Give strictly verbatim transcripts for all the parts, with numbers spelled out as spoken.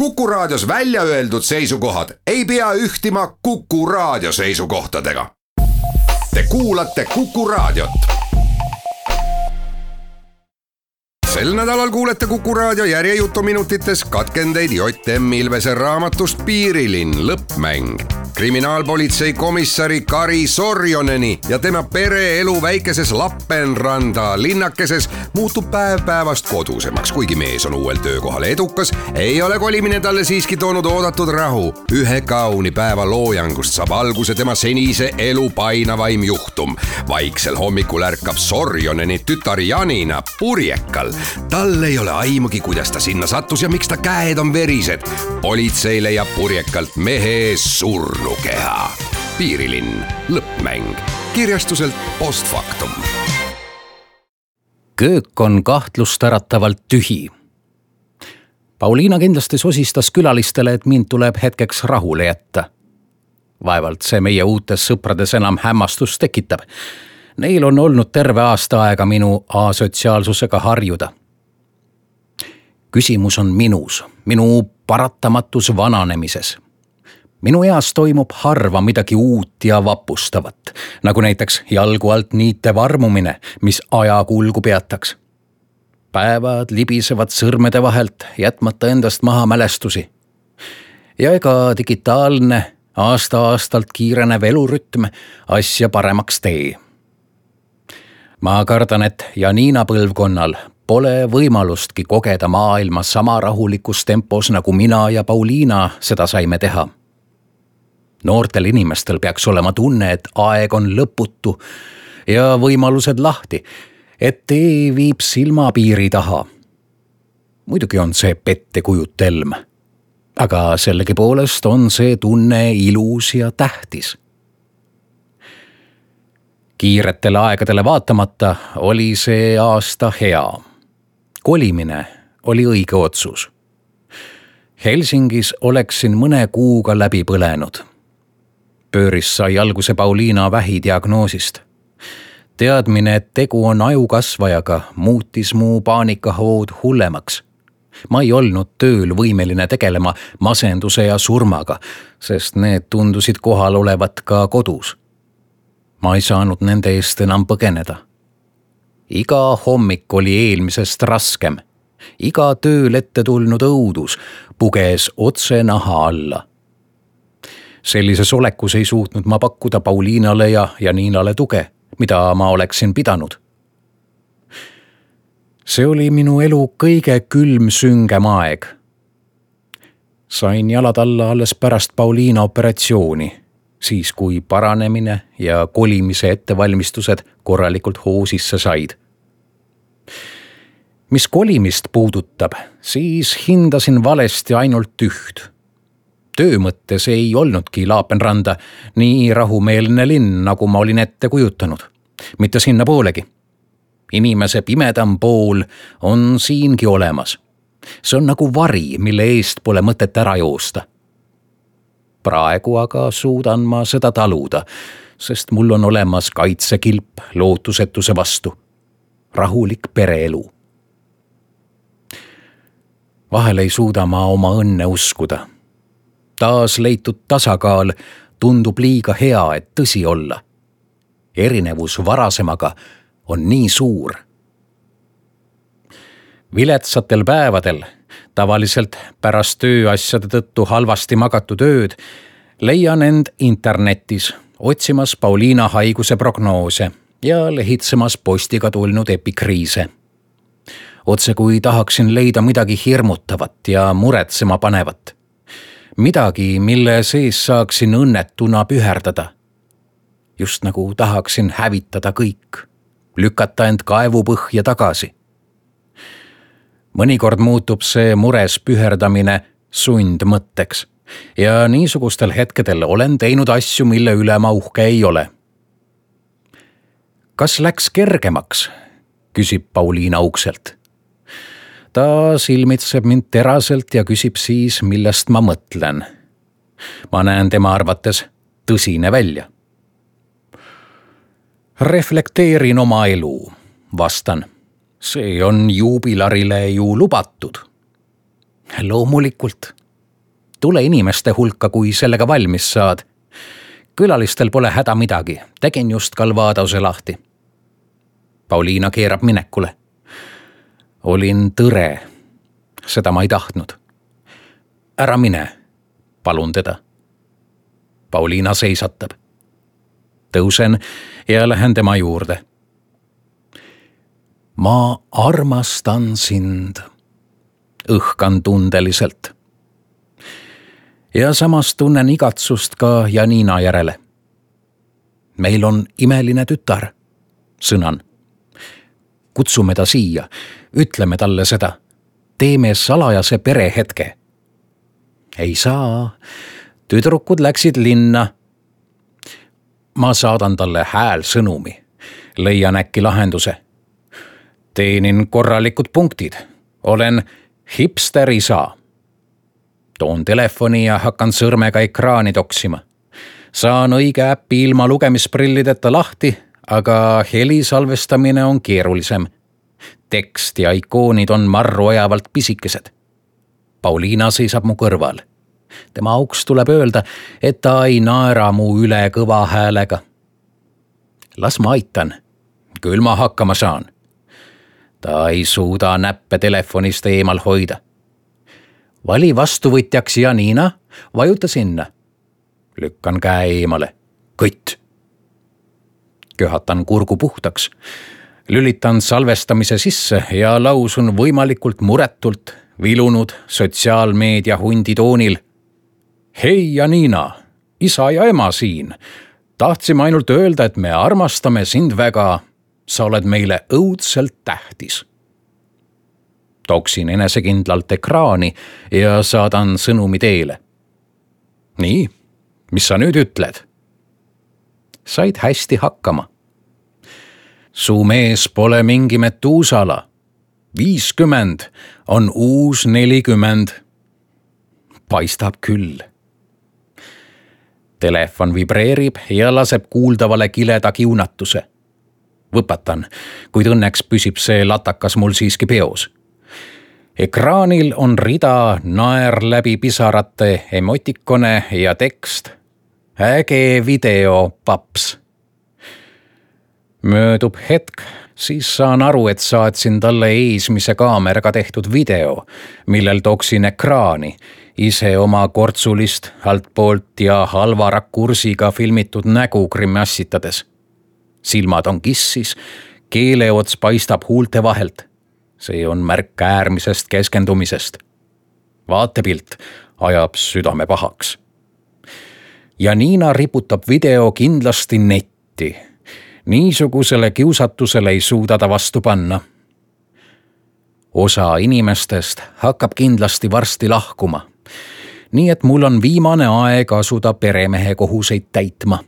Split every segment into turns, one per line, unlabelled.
Kuku Raadios välja öeldud seisukohad ei pea ühtima Kuku Raadio seisukohtadega. Te kuulate Kuku Raadiot. Sel nädalal kuulete Kuku Raadio järjejutuminutites katkendeid J M Ilvese raamatust Piirilinn lõppmäng. Kriminaalpolitsei komissari Kari Sorjoneni ja tema pereelu väikeses Lappenranda linnakeses muutub päev päevast kodusemaks. Kuigi mees on uuel töökohal edukas, ei ole kolimine talle siiski toonud oodatud rahu. Ühe kauni päeva loojangust saab alguse tema senise elu painavaim juhtum. Vaiksel hommikul ärkab Sorjoneni tütar Janina purjekal. Tal ei ole aimugi, kuidas ta sinna sattus ja miks ta käed on verised. Politsei leiab purjekalt mehe surnu keha. Piirilinn lõppmäng. Kirjastuselt Postfaktum.
Köök on kahtlustäratavalt tühi. Pauliina kindlasti sosistas külalistele, et mind tuleb hetkeks rahule jätta. Vaevalt see meie uutes sõprades enam hämmastust tekitab. Neil on olnud terve aasta aega minu asotsiaalsusega harjuda. Küsimus on minus, minu paratamatus vananemises. Minu eas toimub harva midagi uut ja vapustavat, nagu näiteks jalgu alt niite varmumine, mis aja kulgu peataks. Päevad libisevad sõrmede vahelt, jätmata endast maha mälestusi. Ja ega digitaalne, aasta-aastalt kiirenev elurütm asja paremaks tee. Ma kardan, et Janina põlvkonnal pole võimalustki kogeda maailma sama rahulikus tempos, nagu mina ja Pauliina seda saime teha. Noortel inimestel peaks olema tunne, et aeg on lõputu ja võimalused lahti, et tee viib silmapiiri taha. Muidugi on see pettekujutelm, aga sellegipoolest on see tunne ilus ja tähtis. Kiiretele aegadele vaatamata oli see aasta hea. Kolimine oli õige otsus. Helsingis oleksin mõne kuuga läbi põlenud. Pööris sai alguse Pauliina vähidiagnoosist. Teadmine, et tegu on ajukasvajaga, muutis mu paanikahood hullemaks. Ma ei olnud tööl võimeline tegelema masenduse ja surmaga, sest need tundusid kohal olevat ka kodus. Ma ei saanud nende eest enam põgeneda. Iga hommik oli eelmisest raskem. Iga tööl ette tulnud õudus puges otse naha alla. Sellises olekus ei suutnud ma pakkuda Pauliinale ja Janinale tuge, mida ma oleksin pidanud. See oli minu elu kõige külm süngem aeg. Sain jalad alla alles pärast Pauliina operatsiooni, siis kui paranemine ja kolimise ettevalmistused korralikult hoosisse said. Mis kolimist puudutab, siis hindasin valesti ainult üht. Töö mõttes ei olnudki Lappenranda nii rahumeelne linn, nagu ma olin ette kujutanud. Mitte sinna poolegi. Inimese pimedam pool on siingi olemas. See on nagu vari, mille eest pole mõtet ära joosta. Praegu aga suudan ma seda taluda, sest mul on olemas kaitsekilp lootusetuse vastu. Rahulik pereelu. Vahel ei suuda ma oma õnne uskuda. Taas leitud tasakaal tundub liiga hea, et tõsi olla. Erinevus varasemaga on nii suur. Viletsatel päevadel, tavaliselt pärast tööasjade tõttu halvasti magatud ööd, leian end internetis, otsimas Pauliina haiguse prognoose ja lehitsemas postiga tulnud epikriise. Otse kui tahaksin leida midagi hirmutavat ja muretsema panevat. Midagi, mille sees saaksin õnnetuna püherdada. Just nagu tahaksin hävitada kõik, lükata end kaevupõhja tagasi. Mõnikord muutub see mures püherdamine sundmõtteks ja niisugustel hetkedel olen teinud asju, mille üle ma uhke ei ole. Kas läks kergemaks? Küsib Pauliina ukselt. Ta silmitseb mind teraselt ja küsib siis, millest ma mõtlen. Ma näen tema arvates tõsine välja. Reflekteerin oma elu, vastan. See on juubilarile ju lubatud. Loomulikult, Tule inimeste hulka, kui sellega valmis saad. Külalistel pole häda midagi, tegin just Kalvadose lahti. Pauliina keerab minekule. Olin tõre, seda ma ei tahtnud. Ära mine, palun teda. Pauliina seisatab. Tõusen ja lähen tema juurde. Ma armastan sind, õhkan tundeliselt. Ja samas tunnen igatsust ka Janina järele. Meil on imeline tütar, sõnan. Kutsume ta siia, ütleme talle seda. Teeme salajase perehetke. Ei saa, tüdrukud läksid linna. Ma saadan talle häälsõnumi, leian äkki lahenduse. Teenin korralikud punktid, olen hipster isa. Toon telefoni ja hakkan sõrmega ekraani toksima. Saan õige äppi ilma lugemisprillideta lahti, aga heli salvestamine on keerulisem. Tekst ja ikoonid on marru ajavalt pisikesed. Pauliina seisab mu kõrval. Tema auks tuleb öelda, et ta ei naera mu üle kõva häälega. Las ma aitan, küll ma hakkama saan. Ta ei suuda näppe telefonist eemal hoida. Vali vastuvõtjaks Janina, vajuta sinna. Lükkan käe eemale. Kõtt. Köhatan kurgu puhtaks. Lülitan salvestamise sisse ja lausun võimalikult muretult, vilunud sotsiaalmeedia hundi toonil. Hei Janina, isa ja ema siin. Tahtsime ainult öelda, et me armastame sind väga. Sa oled meile õudselt tähtis. Toksin enesekindlalt ekraani ja saadan sõnumi teele. Nii, mis sa nüüd ütled? Said hästi hakkama. Su mees pole mingi Metuusala. viiskümmend on uus nelikümmend. Paistab küll. Telefon vibreerib ja laseb kuuldavale kileda kiunatuse. Võpatan, kuid õnneks püsib see latakas mul siiski peos. Ekraanil on rida naer läbi pisarate emotikone ja tekst. Äge video, paps. Möödub hetk, siis saan aru, et saatsin talle eesmise kaameraga tehtud video, millel toksin ekraani, ise oma kortsulist altpoolt ja halva rakursiga filmitud nägu grimassitades. Silmad on kissis, keeleots paistab huulte vahelt. See on märk äärmisest keskendumisest. Vaatepilt ajab südame pahaks. Janina riputab video kindlasti netti. Niisugusele kiusatusele ei suuda ta vastu panna. Osa inimestest hakkab kindlasti varsti lahkuma. Nii et mul on viimane aeg asuda peremehe kohuseid täitma.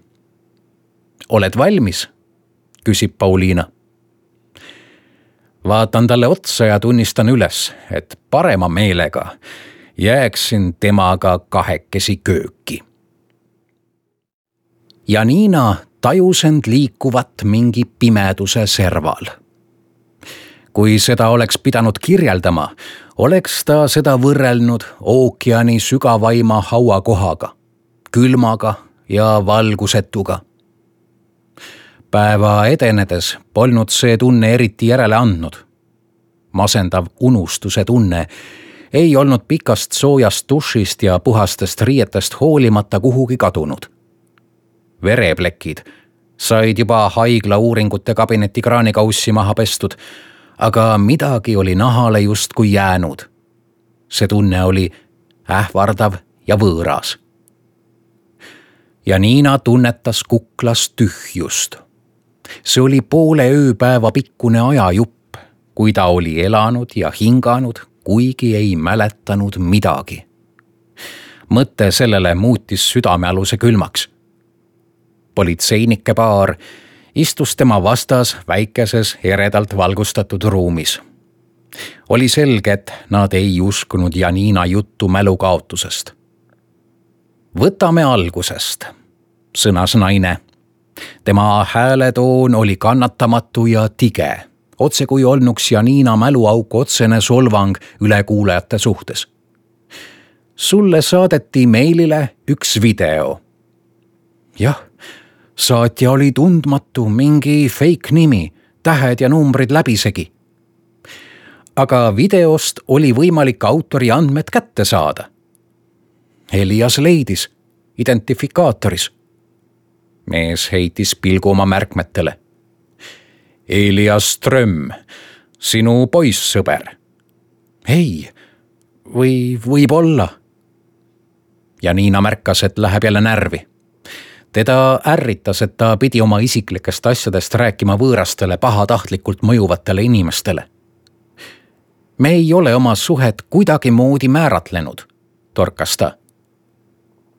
Oled valmis? Küsib Pauliina. Vaatan talle otsa ja tunnistan üles, et parema meelega jääksin temaga kahekesi kööki. Janina tajus end liikuvat mingi pimeduse serval. Kui seda oleks pidanud kirjeldama, oleks ta seda võrrelnud ookeani sügavaima hauakohaga, külmaga ja valgusetuga. Päeva edenedes polnud see tunne eriti järele andnud. Masendav unustuse tunne ei olnud pikast soojast dušist ja puhastest riietest hoolimata kuhugi kadunud. Vereplekid said juba haigla uuringute kabineti kraanikaussi maha pestud, aga midagi oli nahale justkui jäänud. See tunne oli ähvardav ja võõras. Janina tunnetas kuklas tühjust. See oli poole ööpäeva pikkune ajajupp, kui ta oli elanud ja hinganud, kuigi ei mäletanud midagi. Mõte sellele muutis südamealuse külmaks. Politseinike paar istus tema vastas väikeses eredalt valgustatud ruumis. Oli selge, et nad ei uskunud Janina juttu mälukaotusest. Võtame algusest, sõnas naine. Tema hääletoon oli kannatamatu ja tige, otse kui olnuks Janina mäluauk otsene solvang ülekuulajate suhtes. sulle saadeti meilile üks video. Jah, saatja oli tundmatu, mingi fake nimi, tähed ja numbrid läbisegi. Aga videost oli võimalik autori andmed kätte saada. Elias leidis identifikaatoris. Mees heitis pilgu oma märkmetele. Elias Ström, sinu poissõber. Ei, või võib olla. Ja Niina märkas, et läheb jälle närvi. Teda ärritas, et ta pidi oma isiklikest asjadest rääkima võõrastele pahatahtlikult mõjuvatele inimestele. Me ei ole oma suhet kuidagi moodi määratlenud, torkas ta.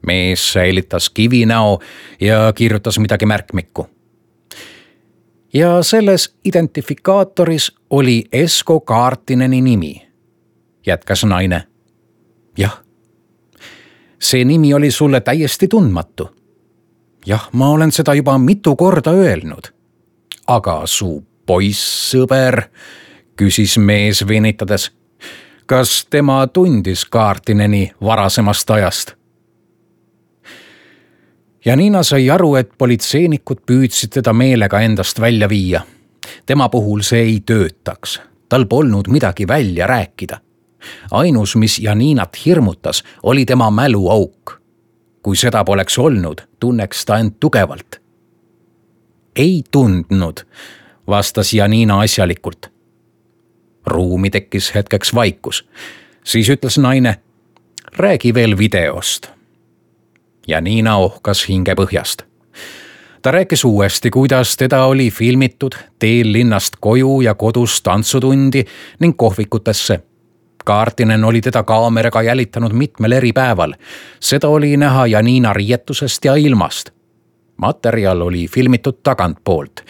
Mees säilitas kivinäo ja kirjutas midagi märkmikku. Ja selles identifikaatoris oli Esko Kaartineni nimi, jätkas naine. Jah, see nimi oli sulle täiesti tundmatu. Jah, ma olen seda juba mitu korda öelnud. Aga su poissõber, küsis mees venitades. Kas tema tundis Kaartineni varasemast ajast? Ja Niina sai aru, et politseinikud püüdsid teda meelega endast välja viia. Tema puhul see ei töötaks. Tal polnud midagi välja rääkida. Ainus, mis Janiinat hirmutas, oli tema mäluauk. Kui seda poleks olnud, tunneks ta end tugevalt. Ei tundnud, vastas Janiina asjalikult. Ruumi tekkis hetkeks vaikus. Siis ütles naine, räägi veel videost. Janiina ohkas hinge põhjast. Ta rääkis uuesti, kuidas teda oli filmitud teel linnast koju ja kodus tantsutundi ning kohvikutesse. Kaartinen oli teda kaameraga jälitanud mitmel eri päeval. Seda oli näha Janiina riietusest ja ilmast. Materjal oli filmitud tagantpoolt,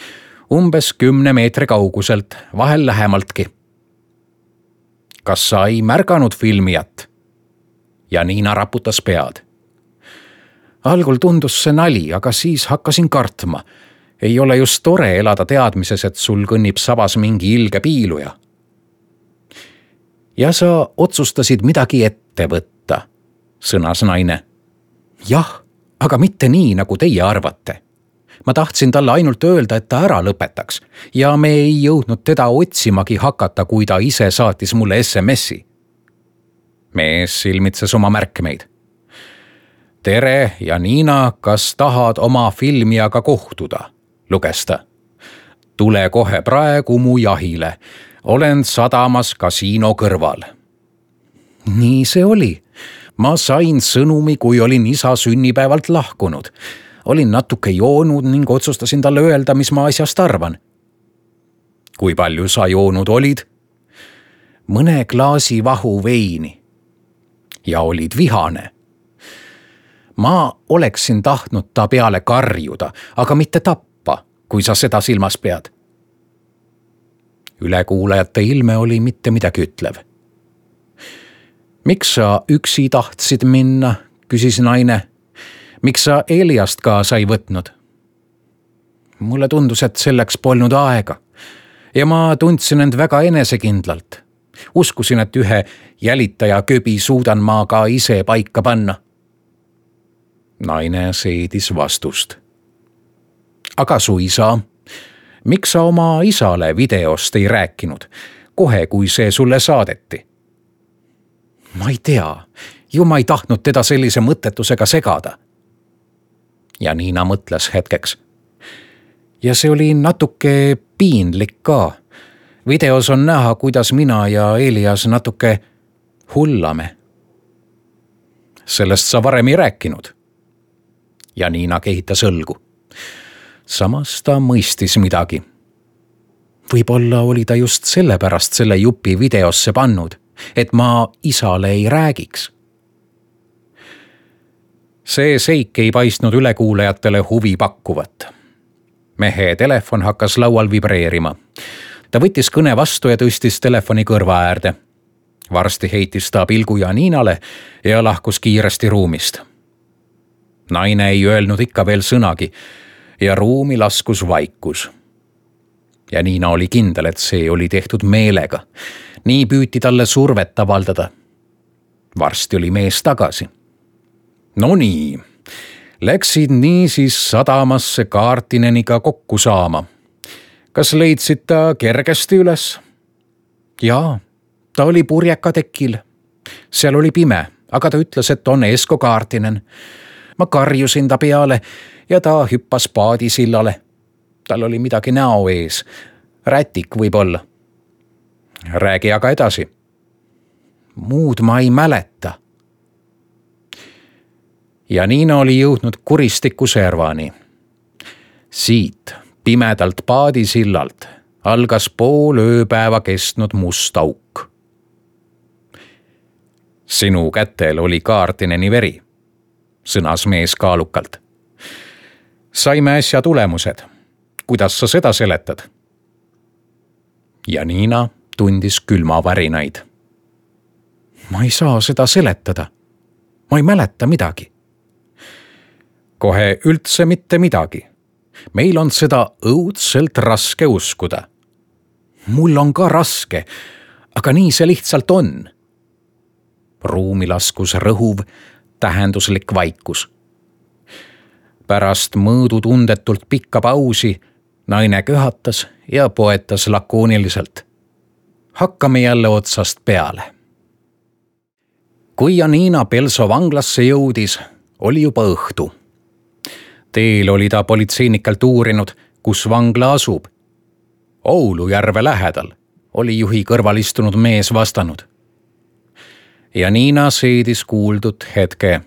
umbes kümne meetri kauguselt, vahel lähemaltki. Kas sa ei märganud filmijat? Janiina raputas pead. Algul tundus see nali, aga siis hakkasin kartma. Ei ole just tore elada teadmises, et sul kõnnib sabas mingi ilge piiluja. Ja sa otsustasid midagi ette võtta, sõnas naine. Jah, aga mitte nii, nagu teie arvate. Ma tahtsin talle ainult öelda, et ta ära lõpetaks ja me ei jõudnud teda otsimagi hakata, kui ta ise saatis mulle S M S-i. Mees silmitses oma märkmeid. Tere, Janiina, kas tahad oma filmijaga kohtuda? Luges ta. Tule kohe praegu mu jahile. Olen sadamas kasiino kõrval. Nii see oli. Ma sain sõnumi, kui olin isa sünnipäevalt lahkunud. Olin natuke joonud ning otsustasin talle öelda, mis ma asjast arvan. Kui palju sa joonud olid? Mõne klaasi vahu veini. Ja olid vihane. Ma oleksin tahtnud ta peale karjuda, aga mitte tappa, kui sa seda silmas pead. Ülekuulajate ilme oli mitte midagi ütlev. Miks sa üksi tahtsid minna, küsis naine. Miks sa Eliast kaasa ei võtnud? Mulle tundus, et selleks polnud aega. Ja ma tundsin end väga enesekindlalt. Uskusin, et ühe jälitaja köbi suudan ma ka ise paika panna. Naine seedis vastust. Aga su isa, miks sa oma isale videost ei rääkinud, kohe kui see sulle saadeti? Ma ei tea, ju ma ei tahtnud teda sellise mõttetusega segada. Ja Niina mõtles hetkeks. Ja see oli natuke piinlik ka. Videos on näha, kuidas mina ja Elias natuke hullame. Sellest sa varem ei rääkinud. Ja Niina kehitas õlgu. Samas ta mõistis midagi. Võib-olla oli ta just sellepärast selle jupi videosse pannud, et ma isale ei räägiks. See seik ei paistnud ülekuulajatele huvi pakkuvat. Mehe telefon hakkas laual vibreerima. Ta võttis kõne vastu ja tõstis telefoni kõrva äärde. Varsti heitis ta pilgu Janiinale ja lahkus kiiresti ruumist. Naine ei öelnud ikka veel sõnagi ja ruumi laskus vaikus. Janiina oli kindel, et see oli tehtud meelega. Nii püüti talle survet avaldada. varsti oli mees tagasi. No nii, läksid niisiis sadamasse Kaartineniga kokku saama. Kas leidsid ta kergesti üles? Jaa, ta oli purjeka tekil. Seal oli pime, aga ta ütles, et on Esko Kaartinen. Ma karjusin ta peale ja ta hüppas paadisillale. Tal oli midagi näo ees. Rätik võib-olla. Räägi aga edasi. Muud ma ei mäleta. Janina oli jõudnud kuristiku servani. Siit pimedalt paadisillalt algas pool ööpäeva kestnud must auk. Sinu kätel oli Kaartineni veri, sõnas mees kaalukalt. Saime äsja tulemused. Kuidas sa seda seletad? Janina tundis külmavärinaid. Ma ei saa seda seletada. Ma ei mäleta midagi. Kohe üldse mitte midagi. Meil on seda õudselt raske uskuda. Mul on ka raske, aga nii see lihtsalt on. Ruumi laskus rõhuv, tähenduslik vaikus. Pärast mõõdutundetult pikka pausi naine köhatas ja poetas lakooniliselt. Hakkame jälle otsast peale. Kui Janina Pelso vanglasse jõudis, oli juba õhtu. Teel oli ta politseinikelt uurinud, kus vangla asub. Oulujärve lähedal, oli juhi kõrval istunud mees vastanud. Janina seedis kuuldud hetke.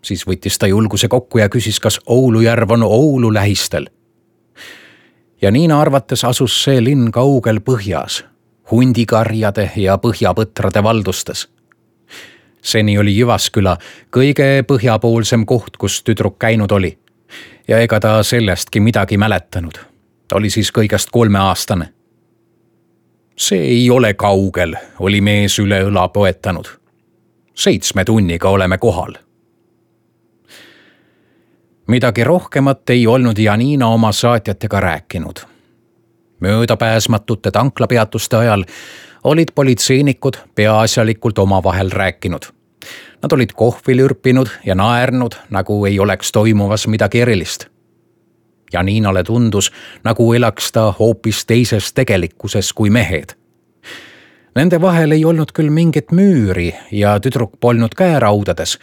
Siis võttis ta julguse kokku ja küsis, kas Oulujärv on Oulu lähistel. Janina arvates asus see linn kaugel põhjas, hundikarjade ja põhjapõtrade valdustes. Seni oli Jyvaskyla kõige põhjapoolsem koht, kus tüdruk käinud oli. Ja ega ta sellestki midagi mäletanud. Ta oli siis kõigest kolmeaastane. See ei ole kaugel, oli mees üle õla poetanud. Seitsme tunniga oleme kohal. Midagi rohkemat ei olnud Janina oma saatjatega rääkinud. Möödapääsmatute tanklapeatuste ajal olid politseinikud peaasjalikult omavahel rääkinud. Nad olid kohvi lürpinud ja naernud, nagu ei oleks toimuvas midagi erilist. Janinale tundus, nagu elaks ta hoopis teises tegelikkuses kui mehed. Nende vahel ei olnud küll mingit müüri ja tüdruk polnud käeraudades,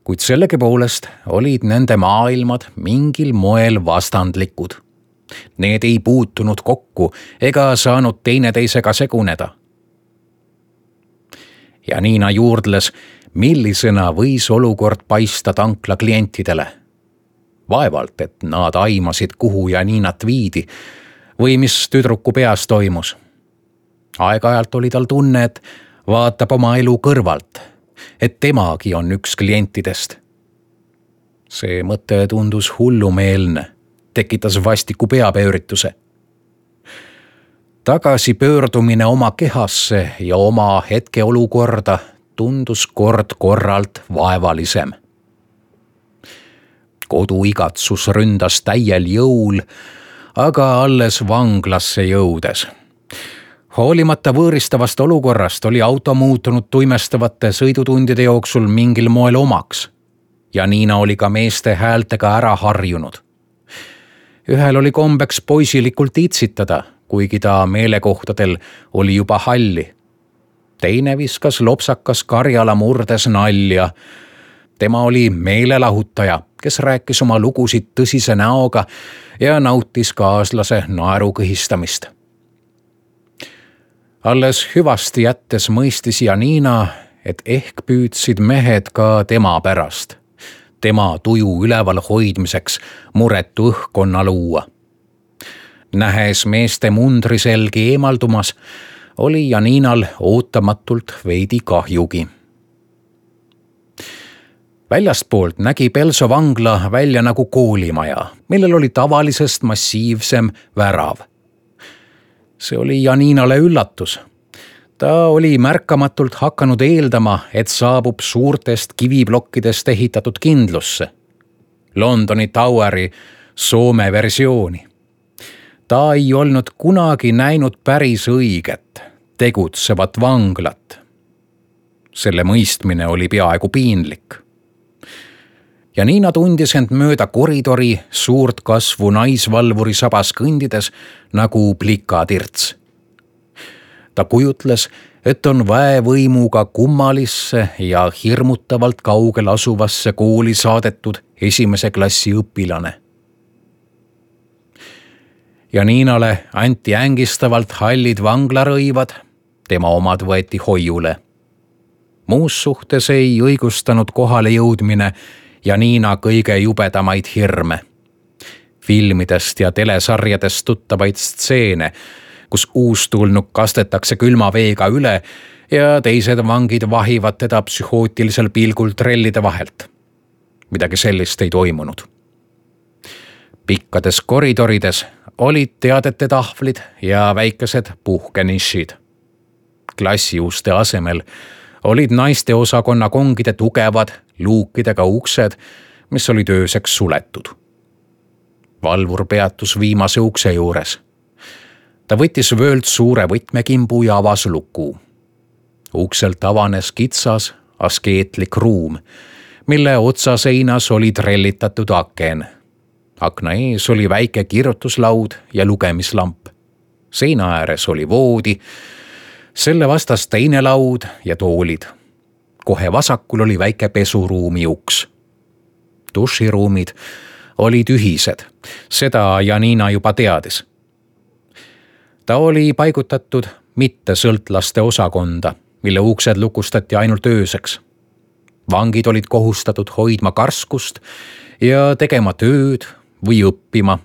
kuid sellegipoolest olid nende maailmad mingil moel vastandlikud. Need ei puutunud kokku ega saanud teineteisega seguneda. Janina juurdles, millisena võis olukord paista tankla klientidele. Vaevalt, et nad aimasid, kuhu Janinat viidi või mis tüdruku peas toimus. Aeg-ajalt oli tal tunne, et vaatab oma elu kõrvalt, et temagi on üks klientidest. See mõte tundus hullumeelne, tekitas vastiku peapöörituse. Tagasi pöördumine oma kehasse ja oma hetkeolukorda tundus kord korralt vaevalisem. Koduigatsus ründas täiel jõul, aga alles vanglasse jõudes. Hoolimata võõristavast olukorrast oli auto muutunud tuimestavate sõidutundide jooksul mingil moel omaks. Janina oli ka meeste häältega ära harjunud. Ühel oli kombeks poisilikult itsitada, kuigi ta meelekohtadel oli juba halli. Teine viskas lopsakas Karjala murdes nalja. Tema oli meelelahutaja, kes rääkis oma lugusid tõsise näoga ja nautis kaaslase naeru kõhistamist. Alles hüvasti jättes mõistis Janina, et ehk püüdsid mehed ka tema pärast, tema tuju üleval hoidmiseks muretu õhkkonna luua. Nähes meeste mundriselgi eemaldumas, oli Janinal ootamatult veidi kahjugi. Väljastpoolt nägi Pelso vangla välja nagu koolimaja, millel oli tavalisest massiivsem värav. See oli Janinale üllatus. Ta oli märkamatult hakanud eeldama, et saabub suurtest kiviblokkidest ehitatud kindlusse. Londoni Toweri Soome versiooni. Ta ei olnud kunagi näinud päris õiget, tegutsevat vanglat. selle mõistmine oli peaaegu piinlik. Janina tundis end mööda koridori suurt kasvu naisvalvuri sabas kõndides nagu plikatirts. Ta kujutles, et on väevõimuga kummalisse ja hirmutavalt kaugel asuvasse kooli saadetud esimese klassi õpilane. Janinale anti ängistavalt hallid vanglarõivad, tema omad võeti hoiule. Muus suhtes ei õigustanud kohale jõudmine Janina kõige jubedamaid hirme. Filmidest ja telesarjadest tuttavaid stseene, kus uustulnuk kastetakse külma veega üle ja teised vangid vahivad teda psühhootilisel pilgul trellide vahelt. Midagi sellist ei toimunud. Pikkades koridorides olid teadete tahvlid ja väikesed puhkenišid. Klassiuste asemel olid naiste osakonna kongide tugevad luukidega uksed, mis olid ööseks suletud. Valvur peatus viimase ukse juures. Ta võttis vöölt suure võtmekimbu ja avas luku. Ukselt avanes kitsas, askeetlik ruum, mille otsaseinas oli trellitatud aken. Akna ees oli väike kirjutuslaud ja lugemislamp. Seina ääres oli voodi, selle vastas teine laud ja toolid. Kohe vasakul oli väike pesuruumi uks. Duširuumid olid ühised, seda Janina juba teadis. Ta oli paigutatud mitte sõltlaste osakonda, mille uksed lukustati ainult ööseks. Vangid olid kohustatud hoidma karskust ja tegema tööd või õppima.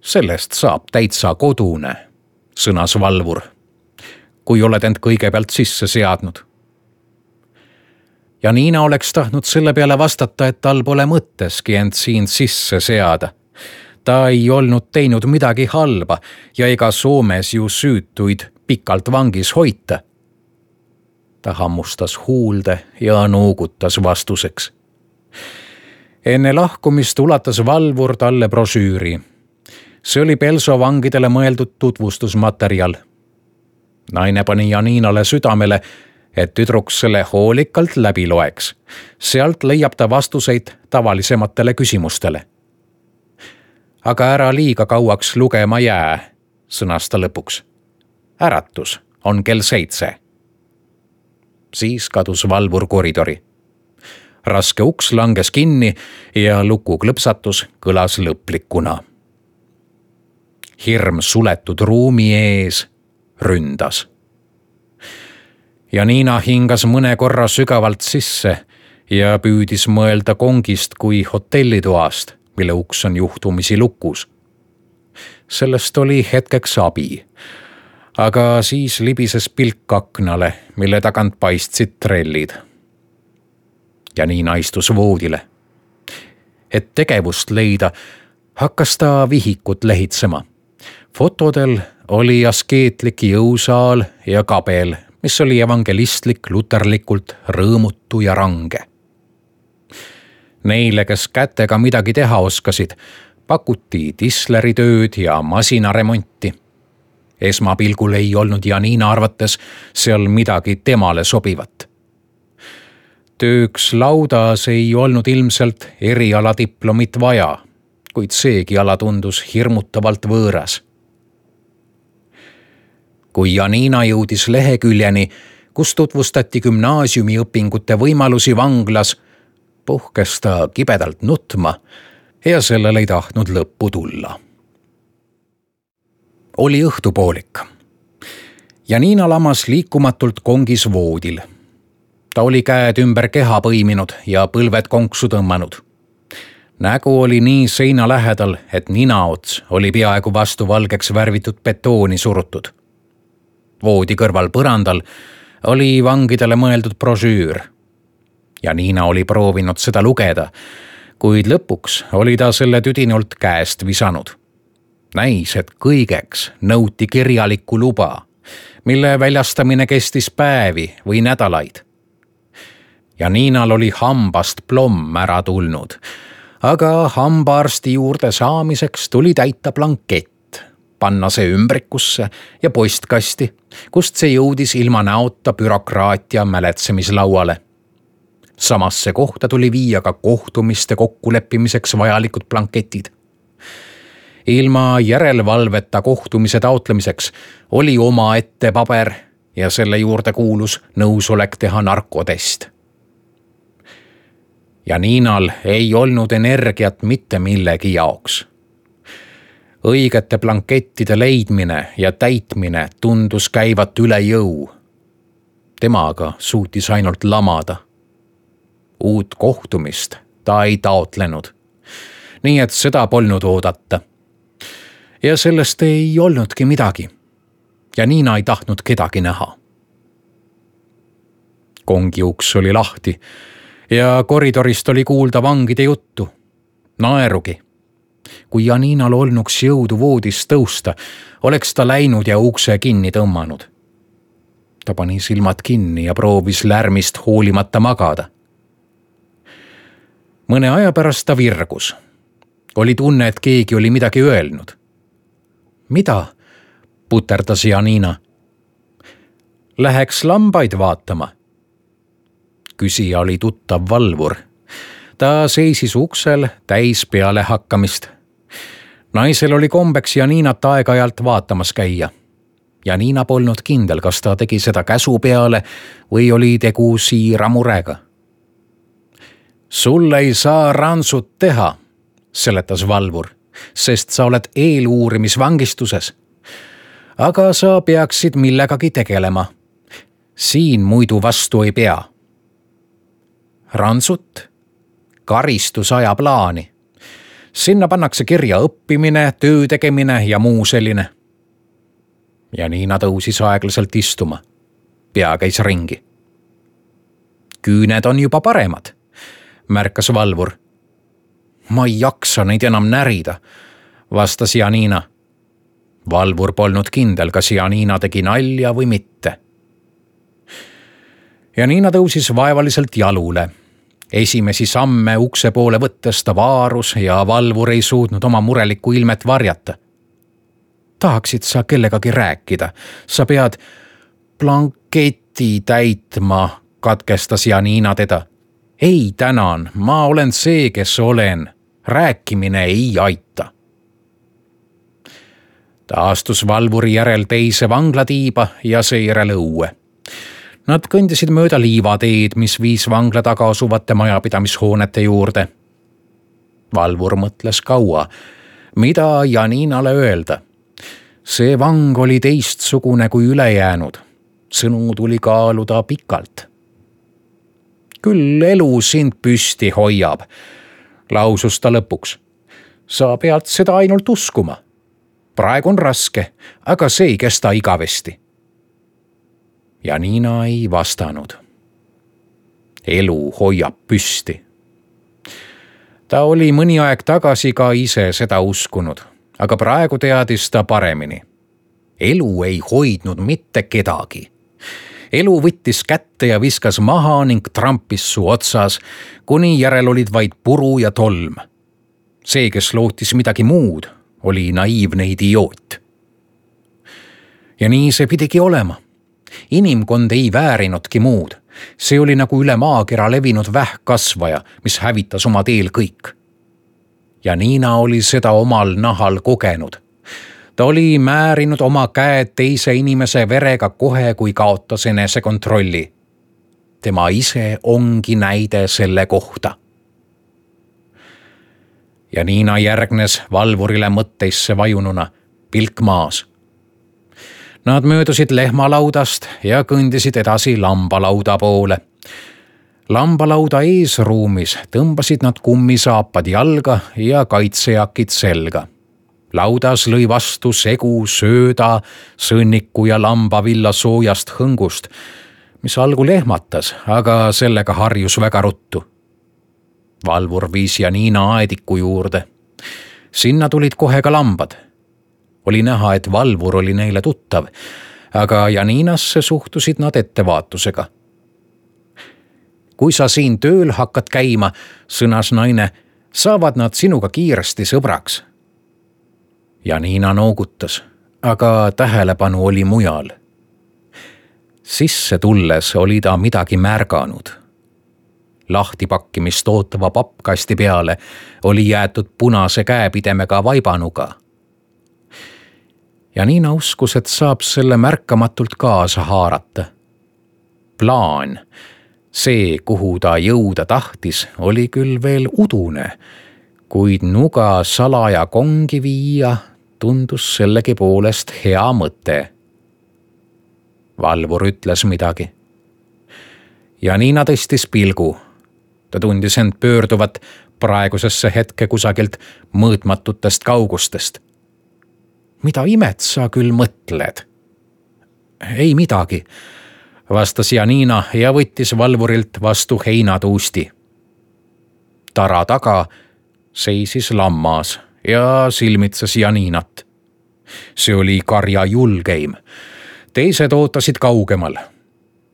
Sellest saab täitsa kodune, sõnas valvur, kui oled end kõigepealt sisse seadnud. Janina oleks tahtnud selle peale vastata, et tal pole mõtteski end siin sisse seada. Ta ei olnud teinud midagi halba ja ega Soomes ju süütuid pikalt vangis hoita. Ta hammustas huulde ja noogutas vastuseks. Enne lahkumist ulatas valvur talle brošüüri. See oli Pelso vangidele mõeldud tutvustusmaterjal. Naine pani Janinale südamele, et tüdruk selle hoolikalt läbi loeks. Sealt leiab ta vastuseid tavalisematele küsimustele. Aga ära liiga kauaks lugema jää, sõnas ta lõpuks. Äratus on kell seitse. Siis kadus valvur koridori. Raske uks langes kinni ja luku klõpsatus kõlas lõplikuna. Hirm suletud ruumi ees ründas. Janina hingas mõne korra sügavalt sisse ja püüdis mõelda kongist kui hotellitoast, mille uks on juhtumisi lukus. Sellest oli hetkeks abi, aga siis libises pilk aknale, mille tagant paistsid trellid. Janina istus voodile. Et tegevust leida, hakkas ta vihikut lehitsema. Fotodel oli askeetlik jõusaal ja kabel, mis oli evangelistlik luterlikult rõõmutu ja range. Neile, kes kätega midagi teha oskasid, pakuti tisleritööd ja masinaremonti. Esmapilgul ei olnud Janina arvates seal midagi temale sobivat. Tööks laudas ei olnud ilmselt erialadiplomit vaja, kuid seegi ala tundus hirmutavalt võõras. Kui Janina jõudis leheküljeni, kus tutvustati gümnaasiumiõpingute võimalusi vanglas, puhkes ta kibedalt nutma ja sellel ei tahtnud lõppu tulla. Oli õhtupoolik. Janina lamas liikumatult kongis voodil. Ta oli käed ümber keha põiminud ja põlved konksu tõmmanud. Nägu oli nii seina lähedal, et ninaots oli peaaegu vastu valgeks värvitud betooni surutud. Voodi kõrval põrandal oli vangidele mõeldud brošüür. Janina oli proovinud seda lugeda, kuid lõpuks oli ta selle tüdinult käest visanud. Näis, et kõigeks nõuti kirjalikku luba, mille väljastamine kestis päevi või nädalaid. Janinal oli hambast plomm ära tulnud, aga hambaarsti juurde saamiseks tuli täita blankett, panna see ümbrikusse ja postkasti, kust see jõudis ilma näota bürokraatia mäletsemislauale. Samasse kohta tuli viia ka kohtumiste kokkuleppimiseks vajalikud blanketid. Ilma järelevalveta kohtumise taotlemiseks oli omaette paber ja selle juurde kuulus nõusolek teha narkotest. Ja Niinal ei olnud energiat mitte millegi jaoks. Õigete blankettide leidmine ja täitmine tundus käivat üle jõu. Tema aga suutis ainult lamada. Uut kohtumist ta ei taotlenud, nii et seda polnud oodata. Ja sellest ei olnudki midagi. Ja Niina ei tahtnud kedagi näha. Kongi uks oli lahti ja koridorist oli kuulda vangide juttu, naerugi. Kui Janinal olnuks jõudu voodist tõusta, oleks ta läinud ja ukse kinni tõmmanud. Ta pani silmad kinni ja proovis lärmist hoolimata magada. Mõne aja pärast ta virgus. Oli tunne, et keegi oli midagi öelnud. Mida? Puterdas Janina. Läheks lambaid vaatama. Küsija oli tuttav valvur. Ta seisis uksel täis peale hakkamist. Naisel oli kombeks Janinat aeg-ajalt vaatamas käia. Janina polnud kindel, kas ta tegi seda käsu peale või oli tegu siira murega. Sul ei saa ransut teha, seletas valvur, sest sa oled eeluurimisvangistuses. Aga sa peaksid millegagi tegelema. Siin muidu vastu ei pea. Ransut? Karistusaja plaani. Sinna pannakse kirja õppimine, töö tegemine ja muu selline. Janina tõusis aeglaselt istuma. Pea käis ringi. Küüned on juba paremad, märkas valvur. Ma ei jaksa neid enam närida, vastas Janina. Valvur polnud kindel, kas Janina tegi nalja või mitte. Janina tõusis vaevaliselt jalule. Esimesi samme ukse poole võttes ta vaarus ja valvur ei suutnud oma murelikku ilmet varjata. Tahaksid sa kellegagi rääkida? Sa pead blanketi täitma, katkestas Janina teda. Ei tänan, ma olen see, kes olen. Rääkimine ei aita. Ta astus valvuri järel teise vanglatiiba ja seejärel õue. Nad kõndisid mööda liivateed, mis viis vangla taga asuvate majapidamishoonete juurde. Valvur mõtles kaua, mida Janinale öelda. See vang oli teistsugune kui ülejäänud. Sõnu tuli kaaluda pikalt. Küll elu sind püsti hoiab, lausus ta lõpuks. Sa pead seda ainult uskuma. Praegu on raske, aga see ei kesta igavesti. Janina ei vastanud. Elu hoiab püsti. Ta oli mõni aeg tagasi ka ise seda uskunud, aga praegu teadis ta paremini. Elu ei hoidnud mitte kedagi. Elu võttis kätte ja viskas maha ning trampis su otsas, kuni järel olid vaid puru ja tolm. See, kes lootis midagi muud, oli naiivne idioot. Ja nii see pidigi olema. Inimkond ei väärinudki muud. See oli nagu üle maakera levinud vähkkasvaja, mis hävitas oma teel kõik. Janina oli seda omal nahal kogenud. Ta oli määrinud oma käed teise inimese verega kohe, kui kaotas enese kontrolli. Tema ise ongi näide selle kohta. Janina järgnes valvurile mõtteisse vajununa, pilk maas. Nad möödusid lehmalaudast ja kõndisid edasi lambalauda poole. Lambalauda eesruumis tõmbasid nad kummisaapad jalga ja kaitsejakid selga. Laudas lõi vastu segu sööda, sõnniku ja lambavilla soojast hõngust, mis algul ehmatas, aga sellega harjus väga ruttu. Valvur viis Janina aediku juurde. Sinna tulid kohe ka lambad. Oli näha, et valvur oli neile tuttav, aga Janinasse suhtusid nad ettevaatusega. Kui sa siin tööl hakkad käima, sõnas naine, saavad nad sinuga kiiresti sõbraks. Janina noogutas. aga tähelepanu oli mujal. Sisse tulles oli ta midagi märganud. Lahtipakkimist ootava pappkasti peale oli jäetud punase käepidemega vaibanuga. Janina uskus, et saab selle märkamatult kaasa haarata. Plaan, see, kuhu ta jõuda tahtis, oli küll veel udune, kuid nuga salaja kongi viia tundus sellegi poolest hea mõte. Valvur ütles midagi. Janina tõstis pilgu. Ta tundis end pöörduvat praegusesse hetke kusagilt mõõtmatutest kaugustest. Mida imet sa küll mõtled? Ei midagi, vastas Janina ja võttis valvurilt vastu heinatuusti. Tara taga seisis lammas ja silmitses Janinat. See oli karja julgeim. Teised ootasid kaugemal.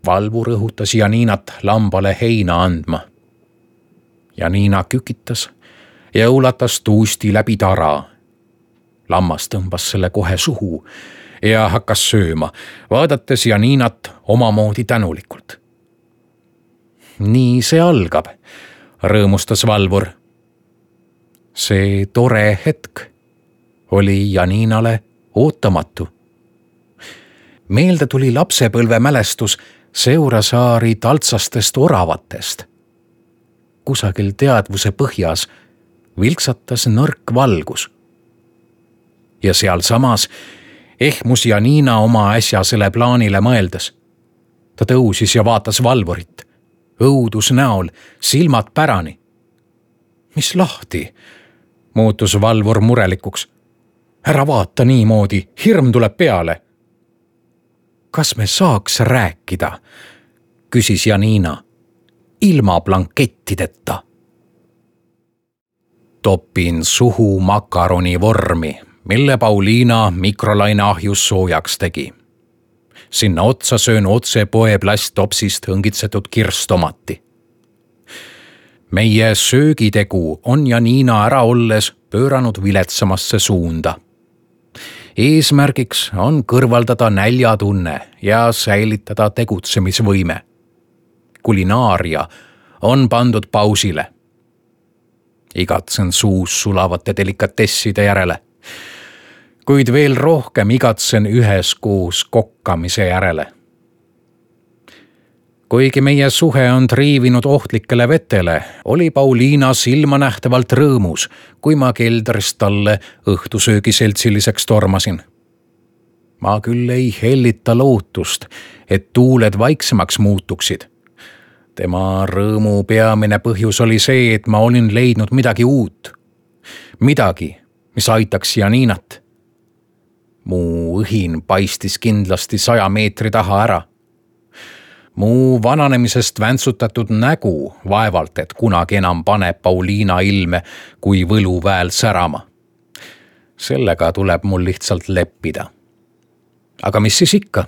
Valvur õhutas Janinat lambale heina andma. Janina kükitas ja ulatas tuusti läbi tara. Lammas tõmbas selle kohe suhu ja hakkas sööma, vaadates Janinat omamoodi tänulikult. Nii see algab, rõõmustas valvur. See tore hetk oli Janinale ootamatu. Meelde tuli lapsepõlve mälestus Seurasaari taltsastest oravatest. Kusagil teadvuse põhjas vilksatas nõrk valgus. Ja seal samas ehmus Janina oma äsjasele plaanile mõeldes. Ta tõusis ja vaatas valvurit. Õudus näol, silmad pärani. Mis lahti? Muutus valvur murelikuks. Ära vaata niimoodi, hirm tuleb peale. Kas me saaks rääkida? Küsis Janina. Ilma blankettideta. Topin suhu makaroni vormi, mille Pauliina mikrolaine ahjus soojaks tegi. Sinna otsa söön otse poe plasttopsist õngitsetud kirstomati. Meie söögitegu on Janina ära olles pööranud viletsamasse suunda. Eesmärgiks on kõrvaldada näljatunne ja säilitada tegutsemisvõime. Kulinaaria on pandud pausile. Igatsen suus sulavate delikatesside järele, kuid veel rohkem igatsen üheskoos kokkamise järele. Kuigi meie suhe on triivinud ohtlikele vetele, oli Pauliina silmanähtavalt rõõmus, kui ma keldrist talle õhtusöögi seltsiliseks tormasin. Ma küll ei hellita lootust, et tuuled vaiksemaks muutuksid. Tema rõõmu peamine põhjus oli see, et ma olin leidnud midagi uut. Midagi, mis aitaks Janinat. Mu õhin paistis kindlasti saja meetri taha ära. Mu vananemisest väntsutatud nägu vaevalt, et kunagi enam paneb Pauliina ilme kui võluväel särama. Sellega tuleb mul lihtsalt leppida. Aga mis siis ikka?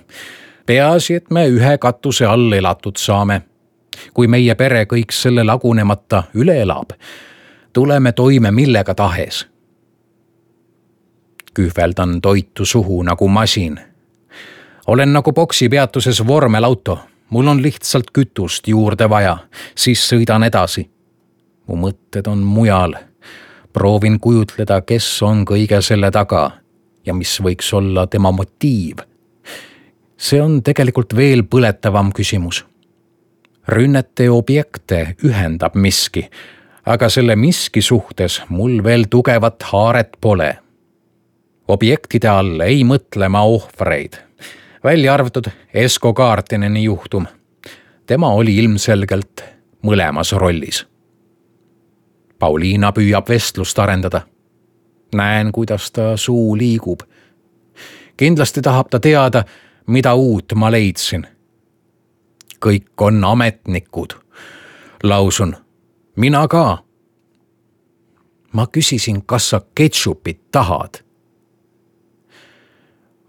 Peaasi, et me ühe katuse all elatud saame. Kui meie pere kõik selle lagunemata üle elab, tuleme toime millega tahes. Kühveldan toitu suhu nagu masin. Olen nagu boksipeatuses vormelauto. Mul on lihtsalt kütust juurde vaja, siis sõidan edasi. Mu mõtted on mujal. Proovin kujutleda, kes on kõige selle taga ja mis võiks olla tema motiiv. See on tegelikult veel põletavam küsimus. Rünnete objekte ühendab miski, aga selle miski suhtes mul veel tugevat haaret pole. Objektide all ei mõtle ma ohvreid. Välja arvatud Esko Kaartineni juhtum. Tema oli ilmselgelt mõlemas rollis. Pauliina püüab vestlust arendada. Näen, kuidas ta suu liigub. Kindlasti tahab ta teada, mida uut ma leidsin. Kõik on ametnikud. Lausun, mina ka. Ma küsisin, kas sa ketšupit tahad.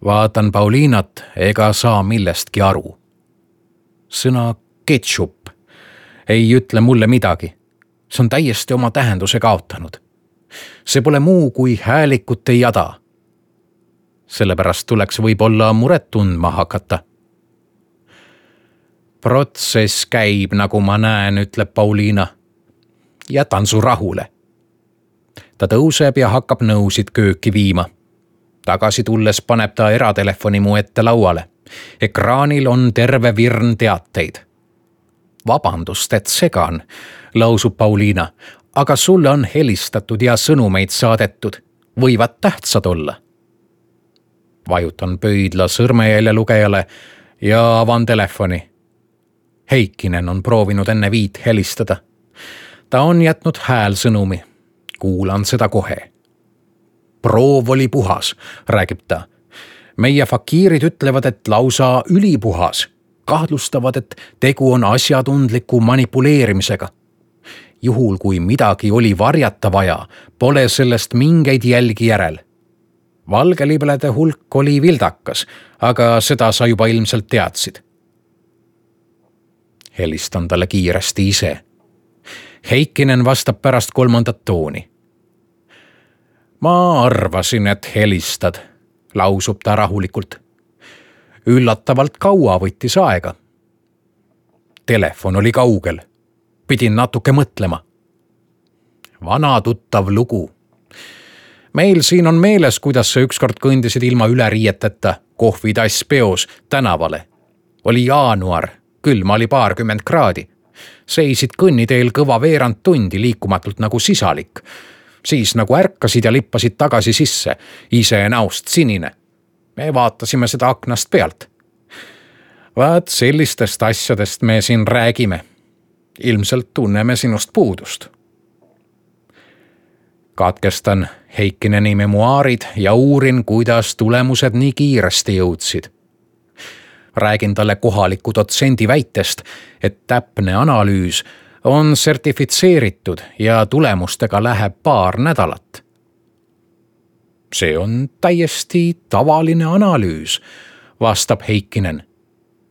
Vaatan Pauliinat ega saa millestki aru. Sõna ketšup ei ütle mulle midagi. See on täiesti oma tähenduse kaotanud. See pole muu kui häälikute jada. sellepärast tuleks võib-olla muret tundma hakata. Protsess käib, nagu ma näen, ütleb Pauliina. Jätan su rahule. Ta tõuseb ja hakkab nõusid kööki viima. Tagasi tulles paneb ta eratelefoni mu ette lauale. Ekraanil on terve virn teateid. Vabandust, et segan, lausub Pauliina, aga sulle on helistatud ja sõnumeid saadetud. Võivad tähtsad olla. Vajutan pöidla sõrmejälje lugejale ja avan telefoni. Heikkinen on proovinud enne viit helistada. Ta on jätnud häälsõnumi. Kuulan seda kohe. Proov oli puhas, räägib ta. Meie fakiirid ütlevad, et lausa ülipuhas. Kahtlustavad, et tegu on asjatundliku manipuleerimisega. Juhul, kui midagi oli varjata vaja, pole sellest mingeid jälgi järel. Valgelibelede hulk oli vildakas, aga seda sa juba ilmselt teadsid. Helistan talle kiiresti ise. Heikkinen vastab pärast kolmandat tooni. Ma arvasin, et helistad, lausub ta rahulikult. Üllatavalt kaua võttis aega. Telefon oli kaugel. Pidin natuke mõtlema. Vana tuttav lugu. Meil siin on meeles, kuidas sa ükskord kõndisid ilma üleriieteta kohvitass peos tänavale. Oli jaanuar, külma oli paarkümmend kraadi. Seisid kõnniteel kõva veerand tundi liikumatult nagu sisalik. Siis nagu ärkasid ja lippasid tagasi sisse, ise näost sinine. Me vaatasime seda aknast pealt. Vaat sellistest asjadest me siin räägime. Ilmselt tunneme sinust puudust. Katkestan Heikkineni memuaarid ja uurin, kuidas tulemused nii kiiresti jõudsid. Räägin talle kohaliku dotsendi väitest, et täpne analüüs on sertifitseeritud ja tulemustega läheb paar nädalat. See on täiesti tavaline analüüs, vastab Heikkinen.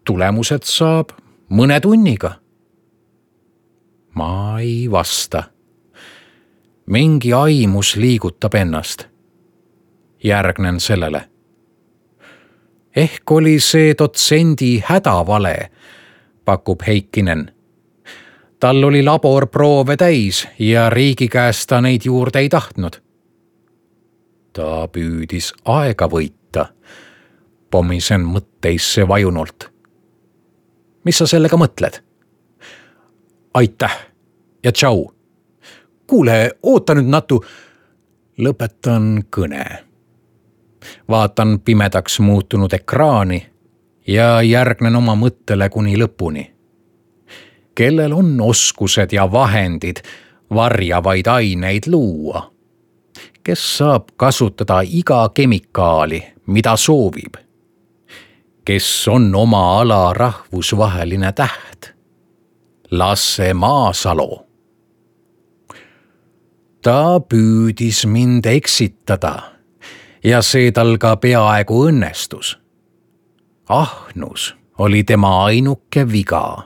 Tulemused saab mõne tunniga. Ma ei vasta. Mingi aimus liigutab ennast. Järgnen sellele. Ehk oli see dotsendi hädavale, pakub Heikkinen. Tal oli laborproove täis ja riigi käest ta neid juurde ei tahtnud. Ta püüdis aega võita. Pomisen mõtteisse vajunult. Mis sa sellega mõtled? Aitäh ja tšau. Kuule, oota nüüd natu. Lõpetan kõne. Vaatan pimedaks muutunud ekraani ja järgnen oma mõttele kuni lõpuni. Kellel on oskused ja vahendid varjavaid aineid luua? Kes saab kasutada iga kemikaali, mida soovib? Kes on oma ala rahvusvaheline täht? Lasse Maasalo. Ta püüdis mind eksitada ja see tal ka peaaegu õnnestus. Ahnus oli tema ainuke viga.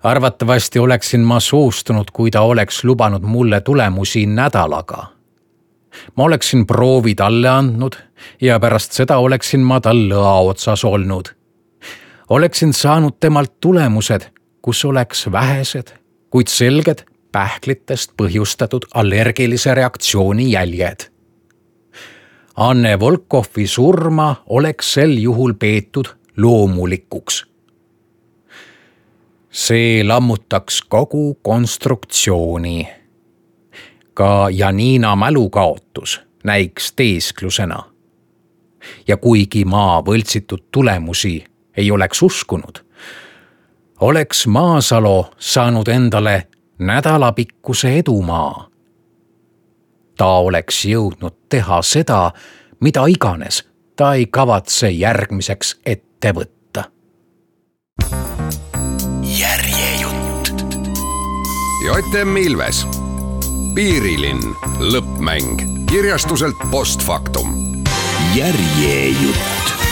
Arvatavasti oleksin ma soostunud, kui ta oleks lubanud mulle tulemusi nädalaga. Ma oleksin proovi talle andnud ja pärast seda oleksin ma tal lõa otsas olnud. Oleksin saanud temalt tulemused, kus oleks vähesed, kuid selged pähklitest põhjustatud allergilise reaktsiooni jäljed. Anne Volkovi surma oleks sel juhul peetud loomulikuks. See lammutaks kogu konstruktsiooni. Ka Janina mälukaotus näiks teesklusena. Ja kuigi ma võltsitud tulemusi ei oleks uskunud, oleks Maasalo saanud endale nädalapikkuse edumaa. Ta oleks jõudnud teha seda, mida iganes ta ei kavatse järgmiseks ette võtta.
Järjejutt. J M Ilves. Piirilinn. Lõppmäng. Kirjastuselt Postfaktum. Järjejutt.